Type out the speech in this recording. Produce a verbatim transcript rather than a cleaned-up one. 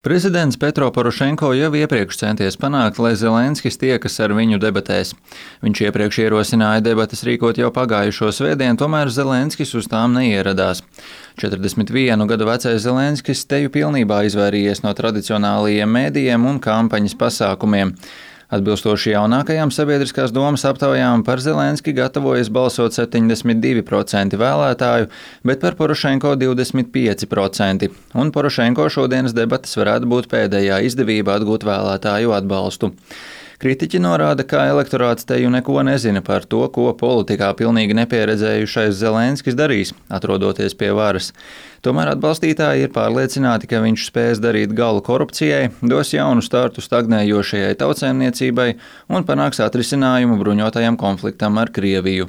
Prezidents Petro Porošenko jau iepriekš centies panākt, lai Zelenskis tiekas ar viņu debatēs. Viņš iepriekš ierosināja debates rīkot jau pagājušo svētdienu, tomēr Zelenskis uz tām neieradās. četrdesmit vienu gadu vecais Zelenskis teju pilnībā izvairījies no tradicionālajiem mēdījiem un kampaņas pasākumiem. Atbilstoši jaunākajām sabiedriskās domas aptaujām par Zelenski gatavojas balsot septiņdesmit divi procenti vēlētāju, bet par Porošenko divdesmit pieci procenti. Un Porošenko šodienas debates varētu būt pēdējā izdevība atgūt vēlētāju atbalstu. Kritiķi norāda, ka elektorāts teju neko nezina par to, ko politikā pilnīgi nepieredzējušais Zelenskis darīs, atrodoties pie varas. Tomēr atbalstītāji ir pārliecināti, ka viņš spēs darīt galu korupcijai, dos jaunu startu stagnējošajai tautsēmniecībai un panāks atrisinājumu bruņotajam konfliktam ar Krieviju.